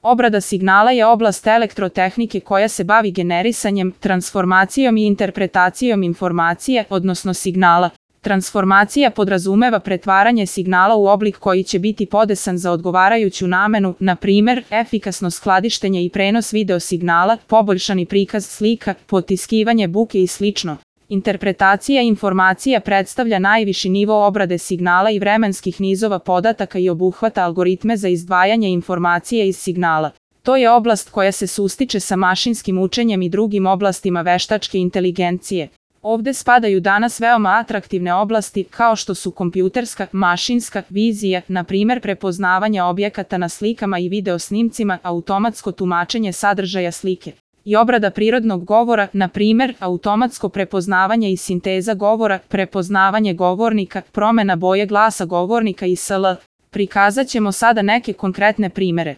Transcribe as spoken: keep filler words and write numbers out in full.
Obrada signala je oblast elektrotehnike koja se bavi generisanjem, transformacijom i interpretacijom informacije, odnosno signala. Transformacija podrazumeva pretvaranje signala u oblik koji će biti podesan za odgovarajuću namenu, na primer, efikasno skladištenje i prenos video signala, poboljšani prikaz slika, potiskivanje buke i slično. Interpretacija informacija predstavlja najviši nivo obrade signala i vremenskih nizova podataka i obuhvata algoritme za izdvajanje informacije iz signala. To je oblast koja se sustiče sa mašinskim učenjem i drugim oblastima veštačke inteligencije. Ovde spadaju danas veoma atraktivne oblasti kao što su kompjuterska, mašinska, vizija, na primer prepoznavanje objekata na slikama i video snimcima, automatsko tumačenje sadržaja slike i obrada prirodnog govora, na primer automatsko prepoznavanje i sinteza govora, prepoznavanje govornika, promena boje glasa govornika i sl. Prikazat ćemo sada neke konkretne primere.